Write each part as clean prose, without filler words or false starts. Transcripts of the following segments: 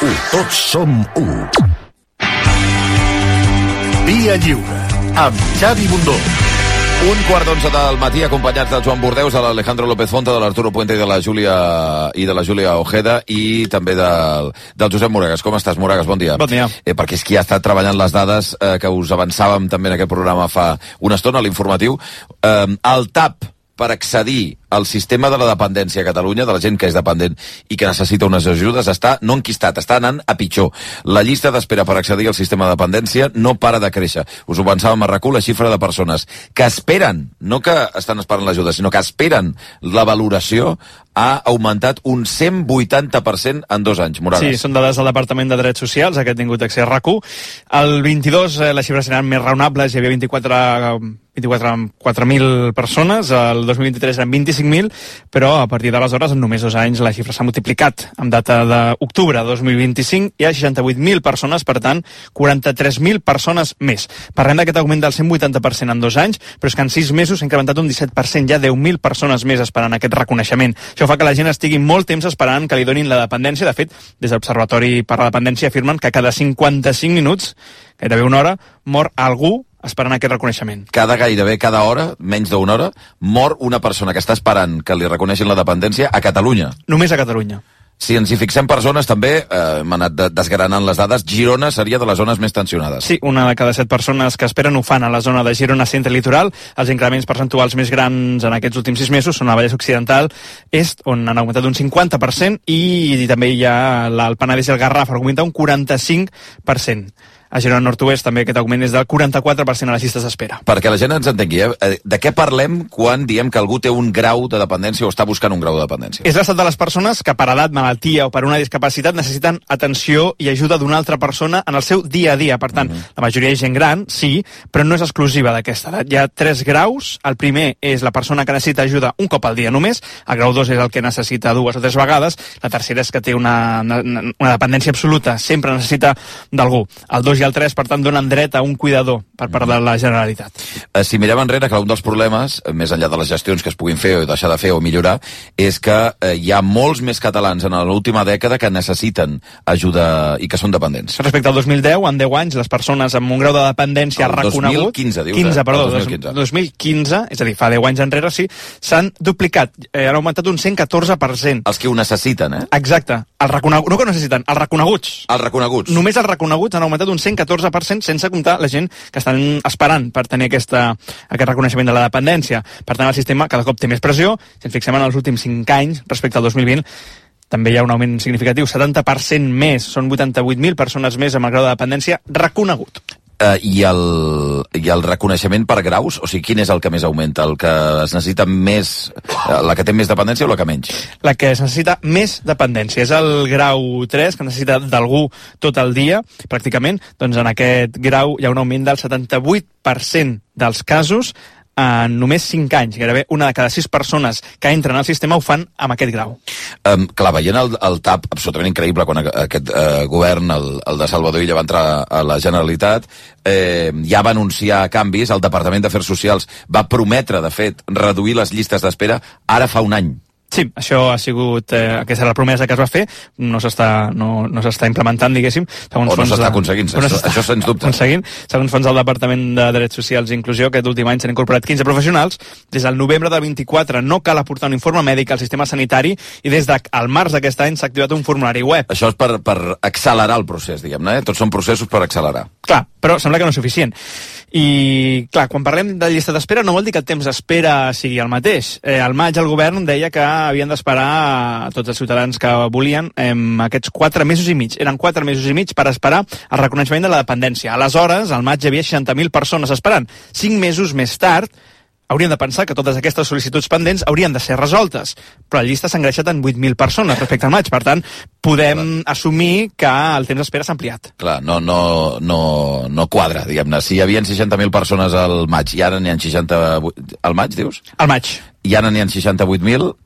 Tots som u. Via Lliure, amb Xavi Bundó. 1:15 del matí, acompanyats del Joan Bordeus, de l'Alejandro López Fonte, de l'Arturo Puente i de la Júlia Ojeda, i també del Josep Moragas. Com estàs, Moragas? Bon dia. Bon dia. Perquè és qui ha estat treballant les dades que us avançàvem també en aquest programa fa una estona, a l'informatiu. El TAP per accedir al sistema de la dependència a Catalunya, de la gent que és dependent i que necessita unes ajudes, està no enquistat, està anant a pitjor. La llista d'espera per accedir al sistema de dependència no para de créixer. Us ho pensàvem a RAC1, la xifra de persones que esperen, no que estan esperant l'ajuda, sinó que esperen la valoració, ha augmentat un 180% en 2 anys. Moragas. Sí, són dades del Departament de Drets Socials, aquest ha tingut accés a RAC1. El 22 les xifres seran més raonables, hi havia 24.000 persones, el 2023 eren 25.000, però a partir d'aleshores, en només 2 anys, la xifra s'ha multiplicat. En data d'octubre de 2025 hi ha 68.000 persones, per tant, 43.000 persones més. Parlem d'aquest augment del 180% en 2 anys, però és que en 6 mesos s'ha incrementat un 17%, hi ha 10.000 persones més esperant aquest reconeixement. Això fa que la gent estigui molt temps esperant que li donin la dependència. De fet, des de l'Observatori per la Dependència afirmen que cada 55 minuts, gairebé una hora, mor algú esperant aquest reconeixement. Gairebé cada hora, menys d'una hora, mor una persona que està esperant que li reconeixin la dependència a Catalunya. Només a Catalunya. Si ens hi fixem per zones, també hem anat desgranant les dades. Girona seria de les zones més tensionades. Sí, una de cada 7 persones que esperen ho fan a la zona de Girona Centre Litoral. Els increments percentuals més grans en aquests últims 6 mesos són a Vallès Occidental Est, on han augmentat un 50%, i també hi ha el Penedès i el Garraf, augmenta un 45%. A Girona Nord-Oest també aquest augment és del 44% a les llistes d'espera. Perquè la gent ens entengui, de què parlem quan diem que algú té un grau de dependència o està buscant un grau de dependència? És l'estat de les persones que per edat, malaltia o per una discapacitat necessiten atenció i ajuda d'una altra persona en el seu dia a dia. Per tant, la majoria és gent gran, sí, però no és exclusiva d'aquesta edat. Hi ha 3 graus. El primer és la persona que necessita ajuda un cop al dia només. El grau 2 és el que necessita 2 o 3 vegades. La tercera és que té una dependència absoluta, sempre necessita d'algú. El 2 i el 3, per tant, donen dret a un cuidador per part de la Generalitat. Si mirem enrere, que un dels problemes, més enllà de les gestions que es puguin fer o deixar de fer o millorar, és que hi ha molts més catalans en l'última dècada que necessiten ajuda i que són dependents. Respecte al 2010, en 10 anys, les persones amb un grau de dependència reconegut... 2015, dius, 2015, és a dir, fa 10 anys enrere, sí, s'han duplicat, han augmentat un 114%. Els que ho necessiten, eh? Exacte. No que ho necessiten, els reconeguts. Els reconeguts. Només els reconeguts han augmentat un 114%, sense comptar la gent que estan esperant per tenir aquest reconeixement de la dependència. Per tant, el sistema cada cop té més pressió. Si ens fixem en els últims 5 anys, respecte al 2020, també hi ha un augment significatiu, 70% més, són 88.000 persones més amb el grau de dependència reconegut. I el reconeixement per graus, o sigui, quin és el que més augmenta? El que es necessita més, la que té més dependència o la que menys? La que es necessita més dependència. És el grau 3, que necessita d'algú tot el dia, pràcticament. Doncs en aquest grau hi ha un augment del 78% dels casos en només 5 anys. Gairebé una de cada 6 persones que entren al sistema ho fan amb aquest grau. Clar, veient el TAP absolutament increïble quan aquest govern, el de Salvador Illa, va entrar a la Generalitat, ja va anunciar canvis, el Departament d'Afers Socials va prometre, de fet, reduir les llistes d'espera ara fa un any. Sí, això ha sigut, aquesta era la promesa que es va fer, no s'està implementant, diguéssim. O no s'està aconseguint, això sens dubte. Segons fons del Departament de Drets Socials i Inclusió, aquest últim any s'han incorporat 15 professionals. Des del novembre del 24 no cal aportar un informe mèdic al sistema sanitari i des del març d'aquest any s'ha activat un formulari web. Això és per accelerar el procés, diguem-ne, Tots són processos per accelerar. Clar, però sembla que no és suficient. I, clar, quan parlem de llista d'espera no vol dir que el temps d'espera sigui el mateix. Al maig el govern deia que havien d'esperar tots els ciutadans que volien aquests 4 mesos i mig. Eren 4 mesos i mig per esperar el reconeixement de la dependència. Aleshores, al maig hi havia 60.000 persones esperant. 5 mesos més tard, hauríem de pensar que totes aquestes sol·licituds pendents haurien de ser resoltes, però la llista s'ha engreixat en 8.000 persones respecte al maig. Per tant, podem assumir que el temps d'espera s'ha ampliat. Clar, no quadra, diguem-ne. Si hi havia 60.000 persones al maig i ara n'hi ha 68... Al maig, dius? Al maig. I ara n'hi ha 68.000,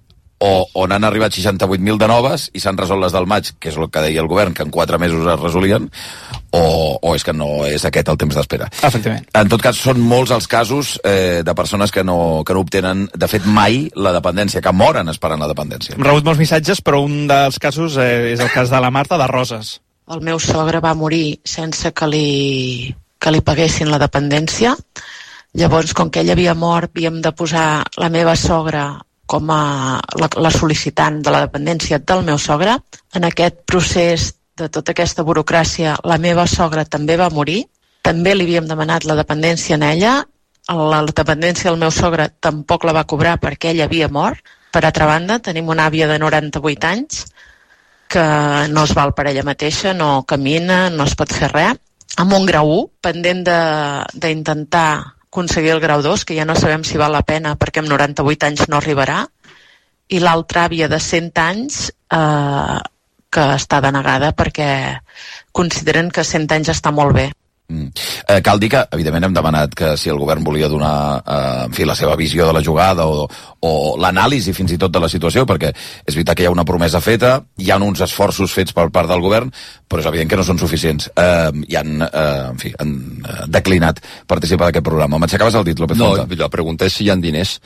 o n'han arribat 68.000 de noves i s'han resolt les del maig, que és el que deia el govern, que en 4 mesos es resolien, o és que no és aquest el temps d'espera. Efectivament. En tot cas, són molts els casos de persones que no obtenen, de fet, mai la dependència, que moren esperant la dependència. Hem rebut molts missatges, però un dels casos és el cas de la Marta de Roses. el meu sogre va morir sense que li paguessin la dependència. Llavors, com que ell havia mort, havíem de posar la meva sogra com a la sol·licitant de la dependència del meu sogre. En aquest procés de tota aquesta burocràcia, la meva sogra també va morir. També li havíem demanat la dependència a ella. La dependència del meu sogre tampoc la va cobrar perquè ell havia mort. Per altra banda, tenim una àvia de 98 anys que no es val per ella mateixa, no camina, no es pot fer res, amb un grau 1, pendent d'intentar aconseguir el grau 2, que ja no sabem si val la pena perquè amb 98 anys no arribarà, i l'altra àvia de 100 anys que està denegada perquè consideren que 100 anys està molt bé. Cal dir que, evidentment, hem demanat que si el govern volia donar la seva visió de la jugada o l'anàlisi fins i tot de la situació, perquè és veritat que hi ha una promesa feta, hi ha uns esforços fets per part del govern, però és evident que no són suficients. I han declinat participar d'aquest programa. M'aixecaves el dit, López Fonta? No, la pregunta és si hi ha diners,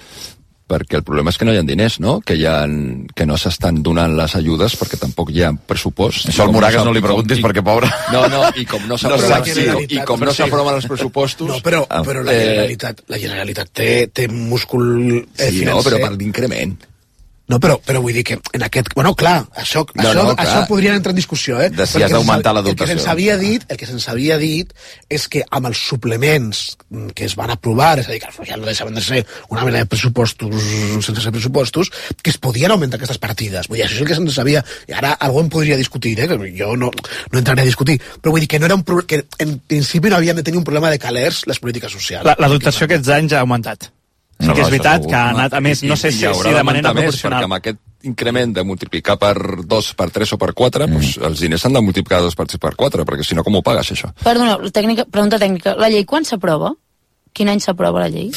perquè el problema és que no hi ha diners, no? Que no s'estan donant les ajudes perquè tampoc hi ha pressupost. Això al Moragas no li preguntis perquè, pobre... No, i com no s'aproven els pressupostos... No, però la Generalitat té múscul financer. Sí, no, però per l'increment. No, però vull dir que en aquest... Bueno, clar, això podria entrar en discussió, de si has d'augmentar la dotació. El que se'ns havia dit és que amb els suplements que es van aprovar, és a dir, que ja no deixaven de ser una mena de pressupostos sense ser pressupostos, que es podien augmentar aquestes partides. Vull dir, això és el que se'ns sabia... I ara algú en podria discutir, que jo no entraré a discutir, però vull dir que no era que en principi no havien de tenir un problema de calers les polítiques socials. La dotació aquests anys ha augmentat. Sí que és veritat que ha anat, a més, no sé si de manera proporcional. Perquè amb aquest increment de multiplicar per 2, per 3 o per 4, doncs els diners s'han de multiplicar 2 per 3 per 4, perquè si no, com ho pagues, això? Perdona, pregunta tècnica. La llei quan s'aprova? Quin any s'aprova la llei?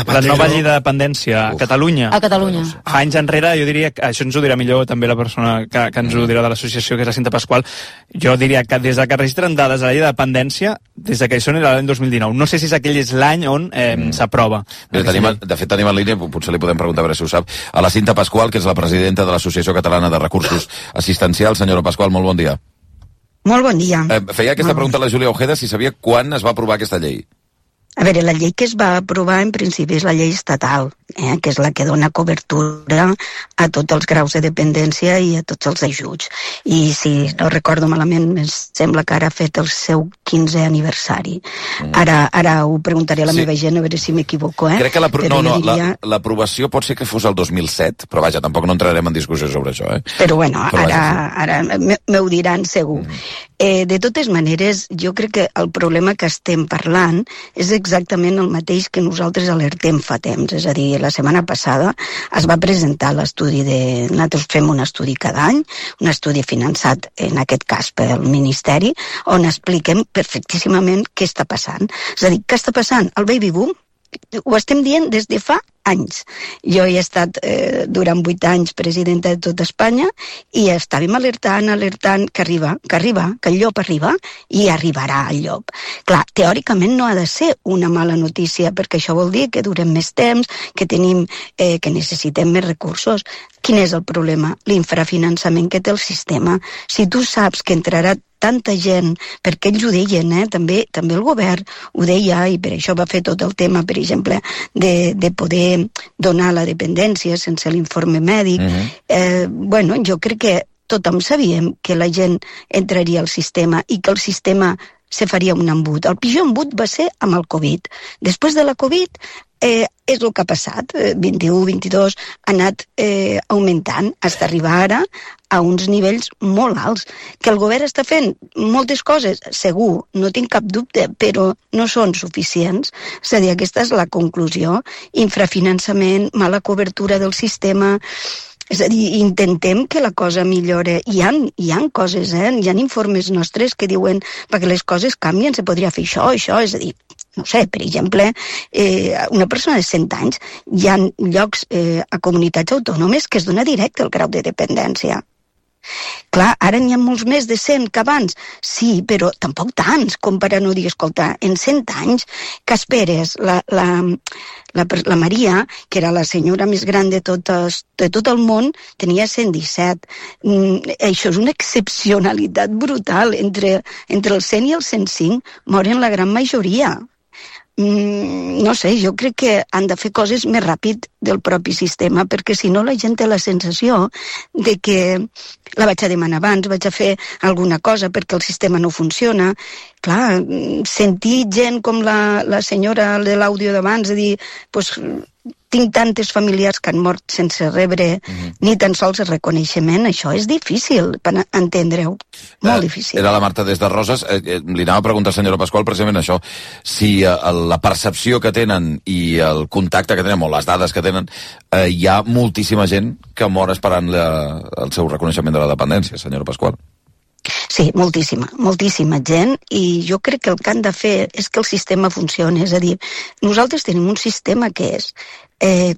La nova llei de dependència a Catalunya. A Catalunya. Fa anys enrere, jo diria, això ens ho dirà millor també la persona que ens ho dirà de l'associació, que és la Cinta Pasqual, jo diria que des que registren dades a la llei de dependència, des que hi són era l'any 2019. No sé si aquell és l'any on s'aprova. De fet, tenim en línia, potser li podem preguntar a veure si ho sap, a la Cinta Pasqual, que és la presidenta de l'Associació Catalana de Recursos Assistencials. Senyora Pasqual, molt bon dia. Molt bon dia. Feia aquesta pregunta a la Júlia Ojeda si sabia quan es va aprovar aquesta llei. A veure, la llei que es va aprovar en principi és la llei estatal, que és la que dona cobertura a tots els graus de dependència i a tots els ajuts. I si no recordo malament, em sembla que ara ha fet el seu 15è aniversari. Ara ho preguntaré a la meva gent, a veure si m'equivoco. Crec que l'aprovació pot ser que fos el 2007, però vaja, tampoc no entrarem en discussió sobre això. Però bueno, ara m'ho diran segur. De totes maneres, jo crec que el problema que estem parlant és exactament el mateix que nosaltres alertem fa temps. És a dir, la setmana passada es va presentar l'estudi nosaltres fem un estudi cada any, un estudi finançat, en aquest cas, pel Ministeri, on expliquem perfectíssimament què està passant. És a dir, què està passant? El baby boom ho estem dient des de fa anys. Jo he estat durant 8 anys presidenta de tot Espanya i estàvem alertant que arriba, que el llop arriba i arribarà el llop. Clar, teòricament no ha de ser una mala notícia perquè això vol dir que durem més temps, que necessitem més recursos. Quin és el problema? L'infrafinançament que té el sistema. Si tu saps que entrarà tanta gent, perquè ells ho deien, també el govern ho deia, i per això va fer tot el tema, per exemple, de poder donar la dependència sense l'informe mèdic. Bueno, jo crec que tothom sabíem que la gent entraria al sistema i que el sistema se faria un embut. El pitjor embut va ser amb el Covid. Després de la Covid és el que ha passat. 21, 22 ha anat augmentant fins a arribar ara a uns nivells molt alts. Que el govern està fent moltes coses, segur, no tinc cap dubte, però no són suficients. És a dir, aquesta és la conclusió. Infrafinançament, mala cobertura del sistema. És a dir, intentem que la cosa millore. Hi ha coses, hi ha informes nostres que diuen perquè les coses canvien, se podria fer això, és a dir, no sé, per exemple, una persona de 100 anys, hi ha llocs a comunitats autònomes que es dona directe el grau de dependència. Clar, ara n'hi ha molts més de 100 que abans. Sí, però tampoc tants, com per a no dir, escolta, en 100 anys, que esperes, la Maria, que era la senyora més gran de tot el món, tenia 117. Això és una excepcionalitat brutal. Entre el 100 i el 105 moren la gran majoria. No sé, jo crec que han de fer coses més ràpid del propi sistema, perquè si no la gent té la sensació de que la vaig a demanar abans, vaig a fer alguna cosa perquè el sistema no funciona. Clar, sentir gent com la senyora de l'àudio d'abans de dir, pues, tinc tantes familiars que han mort sense rebre ni tan sols el reconeixement, això és difícil per entendre-ho, molt difícil. Era la Marta des de Roses, li anava a preguntar, senyora Pasqual, precisament això, si la percepció que tenen i el contacte que tenen, o les dades que tenen, hi ha moltíssima gent que mor esperant el seu reconeixement de la dependència, senyora Pasqual. Sí, moltíssima gent, i jo crec que el que han de fer és que el sistema funcioni, és a dir, nosaltres tenim un sistema que és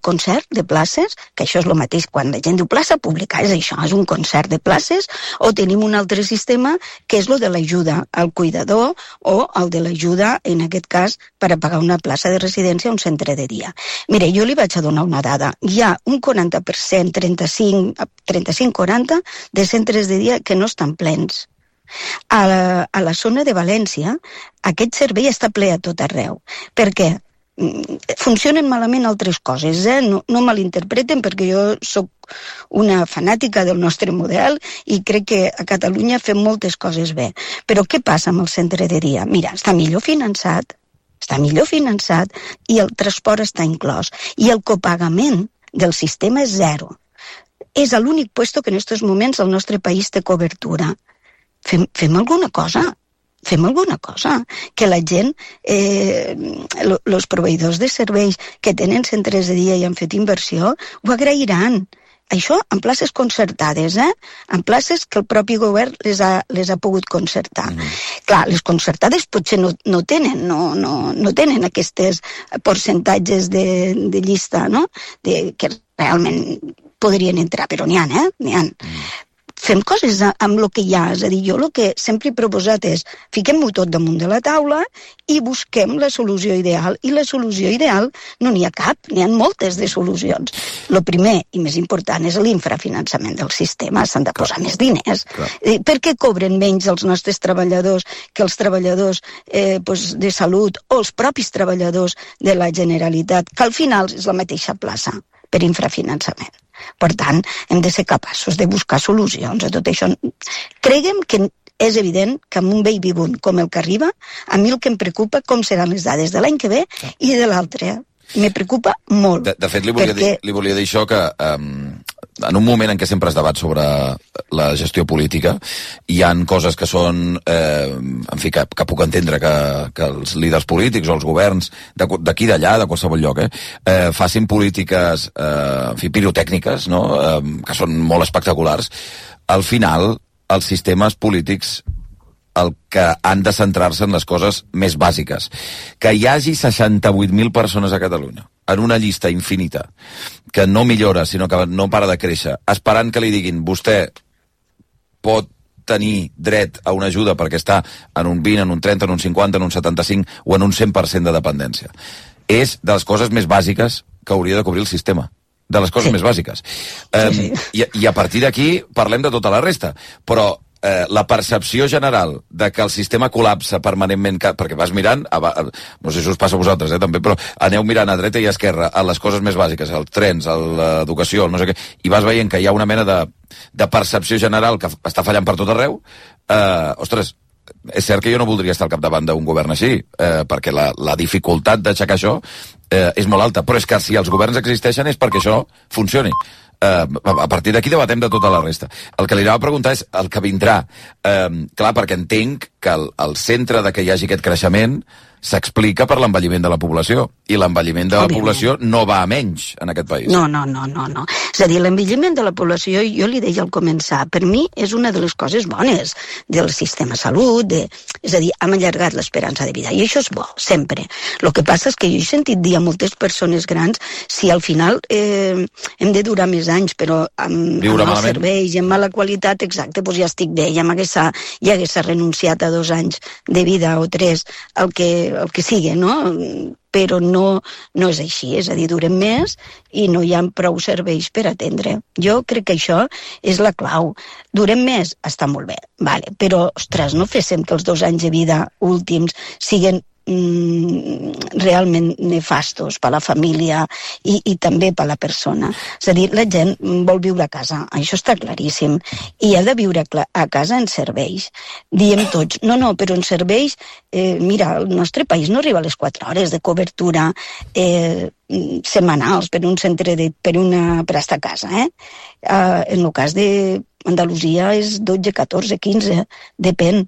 concert de places, que això és el mateix quan la gent diu plaça pública, és això, és un concert de places, o tenim un altre sistema que és el de l'ajuda al cuidador o el de l'ajuda, en aquest cas, per a pagar una plaça de residència a un centre de dia. Mire, jo li vaig a donar una dada. Hi ha un 40%, 35-40 de centres de dia que no estan plens. A la zona de València, aquest servei està ple a tot arreu. Per què? Funcionen malament altres coses, no malinterpreten, perquè jo sóc una fanàtica del nostre model i crec que a Catalunya fem moltes coses bé. Però què passa amb el centre de dia? Mira, està millor finançat i el transport està inclòs. I el copagament del sistema és zero. És l'únic puesto que en aquests moments el nostre país té cobertura. Fem alguna cosa. Fem alguna cosa, que la gent, els proveïdors de serveis que tenen centres de dia i han fet inversió, ho agrairan. Això en places concertades, en places que el propi govern les ha pogut concertar. Clar, les concertades potser no tenen aquests percentatges de llista, no? Que realment podrien entrar, però n'hi ha, Fem coses amb el que hi ha, és a dir, jo el que sempre he proposat és fiquem-ho tot damunt de la taula i busquem la solució ideal, i la solució ideal no n'hi ha cap, n'hi ha moltes de solucions. El primer i més important és l'infrafinançament del sistema, s'han de posar més diners. Per què cobren menys els nostres treballadors que els treballadors de salut o els propis treballadors de la Generalitat, que al final és la mateixa plaça per infrafinançament? Per tant, hem de ser capaços de buscar solucions a tot això. Creguem que és evident que amb un baby boom com el que arriba, a mi el que em preocupa com seran les dades de l'any que ve i de l'altre. Me preocupa molt. De fet, li volia dir això, que en un moment en què sempre es debat sobre la gestió política, hi han coses que són, en fi, que puc entendre que els líders polítics o els governs d'aquí d'allà, de qualsevol lloc, facin polítiques, en fi, pirotècniques, no?, que són molt espectaculars. Al final, els sistemes polítics el que han de centrar-se en les coses més bàsiques. Que hi hagi 68.000 persones a Catalunya, en una llista infinita, que no millora, sinó que no para de créixer, esperant que li diguin vostè pot tenir dret a una ajuda perquè està en un 20, en un 30, en un 50, en un 75 o en un 100% de dependència. És de les coses més bàsiques que hauria de cobrir el sistema. De les coses més bàsiques. I a partir d'aquí parlem de tota la resta. Però la percepció general de que el sistema col·lapsa permanentment, perquè vas mirant, no sé si us passa a vosaltres, també, però aneu mirant a dreta i a esquerra a les coses més bàsiques, els trens, l'educació, no sé què, i vas veient que hi ha una mena de percepció general que està fallant per tot arreu. Ostres, és cert que jo no voldria estar al capdavant d'un govern així, perquè la dificultat d'aixecar això és molt alta, però és que si els governs existeixen és perquè això funcioni. A partir d'aquí debatem de tota la resta. El que li anava a preguntar és el que vindrà. Clar, perquè entenc que el centre de que hi hagi aquest creixement s'explica per l'envelliment de la població. I l'envelliment de la població no va a menys en aquest país. No. És a dir, l'envelliment de la població, jo li deia al començar, per mi és una de les coses bones del sistema de salut, és a dir, hem allargat l'esperança de vida, i això és bo, sempre. El que passa és que jo he sentit dir a moltes persones grans, si al final hem de durar més anys, però amb els serveis i amb mala qualitat, exacte, doncs ja estic bé, ja hagués renunciat a 2 anys de vida o 3, el que sigui, no? Però no és així, és a dir, durem més i no hi ha prou serveis per atendre. Jo crec que això és la clau. Durem més? Està molt bé, vale. Però, ostres, no féssim que els 2 anys de vida últims siguen realment nefastos per a la família i també per a la persona. És a dir, la gent vol viure a casa, això està claríssim, i ha de viure a casa en serveis. Diem tots, no, però en serveis, mira, el nostre país no arriba a les 4 hores de cobertura setmanals per un centre per estar a casa. En el cas d'Andalusia és 12, 14, 15, depèn.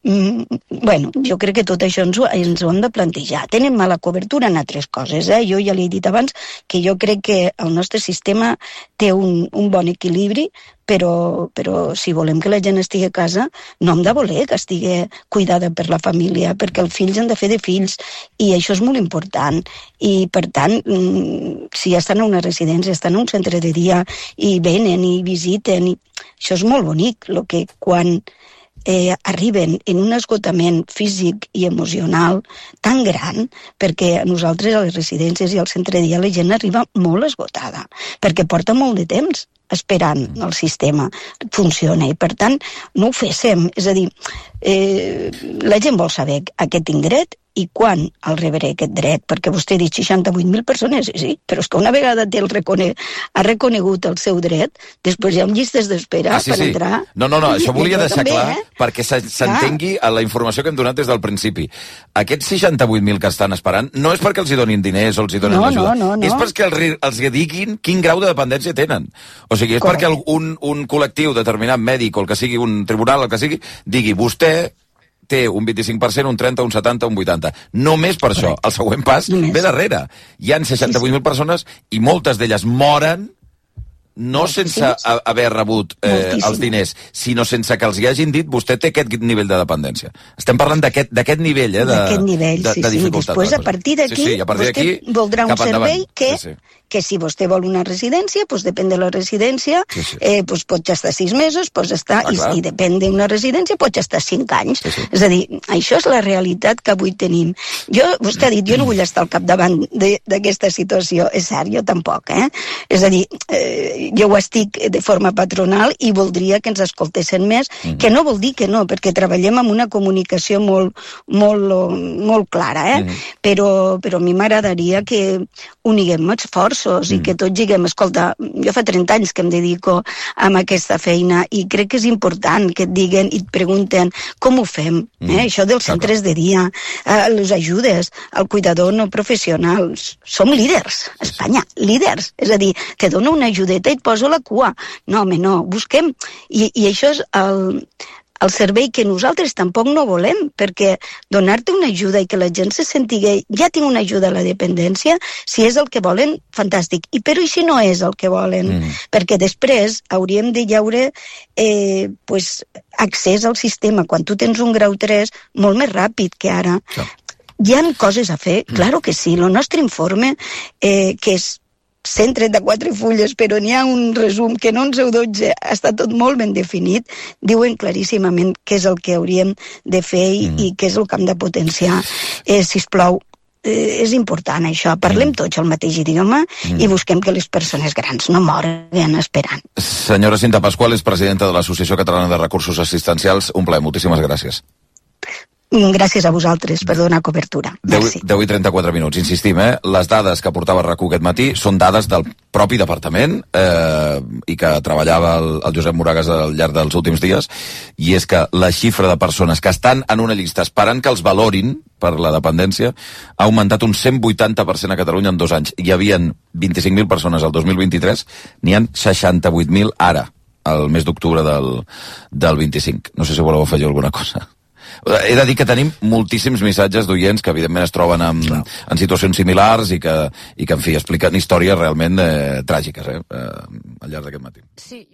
Bueno, jo crec que tot això ens ho hem de plantejar. Tenen mala cobertura en altres coses. Jo ja li he dit abans que jo crec que el nostre sistema té un bon equilibri, però si volem que la gent estigui a casa, no hem de voler que estigui cuidada per la família, perquè els fills han de fer de fills, i això és molt important. I, per tant, si estan a una residència, estan a un centre de dia, i venen i visiten, això és molt bonic, el que quan arriben en un esgotament físic i emocional tan gran, perquè nosaltres a les residències i al centre de dia la gent arriba molt esgotada, perquè porta molt de temps esperant el sistema funciona, i per tant no ho féssim. És a dir, la gent vol saber a què tinc dret i quan el rebré aquest dret, perquè vostè ha dit 68.000 persones, sí, però és que una vegada ha reconegut el seu dret, després hi ha llistes d'espera per entrar. No, això volia deixar clar, perquè s'entengui a la informació que hem donat des del principi. Aquests 68.000 que estan esperant no és perquè els hi donin diners o els hi donin ajuda, és perquè els diguin quin grau de dependència tenen. O sigui, és perquè un col·lectiu determinat, mèdic o el que sigui, un tribunal, el que sigui, digui, vostè té un 25%, un 30%, un 70%, un 80%. Només per això. El següent pas ve darrere. Hi han 68.000 persones i moltes d'elles moren no sense haver rebut els diners, sinó sense que els hi hagin dit vostè té aquest nivell de dependència. Estem parlant d'aquest nivell, d'aquest nivell, sí. Després, a partir d'aquí, vostè voldrà un servei que si vostè vol una residència, doncs depèn de la residència, doncs pot estar 6 mesos, pots estar, i depèn d'una residència, pots estar 5 anys. És a dir, això és la realitat que avui tenim. Vostè ha dit, jo no vull estar al capdavant d'aquesta situació. És cert, jo tampoc, És a dir, jo ho estic de forma patronal i voldria que ens escoltessin més, que no vol dir que no, perquè treballem amb una comunicació molt clara, però a mi m'agradaria que uniguem esforços i que tots diguem, escolta, jo fa 30 anys que em dedico a aquesta feina i crec que és important que et diguen i et pregunten com ho fem, això dels centres de dia, les ajudes, el cuidador no professional, som líders, Espanya, líders, és a dir, te dona una ajudeta i et poso la cua, no, home, no, busquem, i això és el servei que nosaltres tampoc no volem, perquè donar-te una ajuda i que la gent se sentigui, ja tinc una ajuda a la dependència, si és el que volen, fantàstic. Però i si no és el que volen? Perquè després hauríem de llaure accés al sistema, quan tu tens un grau 3, molt més ràpid que ara. Hi ha coses a fer, claro que sí. El nostre informe, que és 134 fulles, però n'hi ha un resum que en 11 o 12 està tot molt ben definit, diuen claríssimament què és el que hauríem de fer i què és el que hem de potenciar. Sisplau, és important això, parlem tots el mateix idioma i busquem que les persones grans no moren esperant. Senyora Cinta Pasqual és presidenta de l'Associació Catalana de Recursos Assistencials. Un plaer, moltíssimes gràcies. Gràcies a vosaltres per donar cobertura. 10 i 34 minuts. Insistim, les dades que portava RAC1 aquest matí són dades del propi departament i que treballava el Josep Moragas al llarg dels últims dies, i és que la xifra de persones que estan en una llista esperant que els valorin per la dependència ha augmentat un 180% a Catalunya en 2 anys. Hi havien 25.000 persones al 2023, n'hi han 68.000 ara, al mes d'octubre del 25. No sé si voleu afegir alguna cosa. He de dir que tenim moltíssims missatges d'oients que evidentment es troben en situacions similars i que, en fi, expliquen històries realment tràgiques al llarg d'aquest matí. Sí.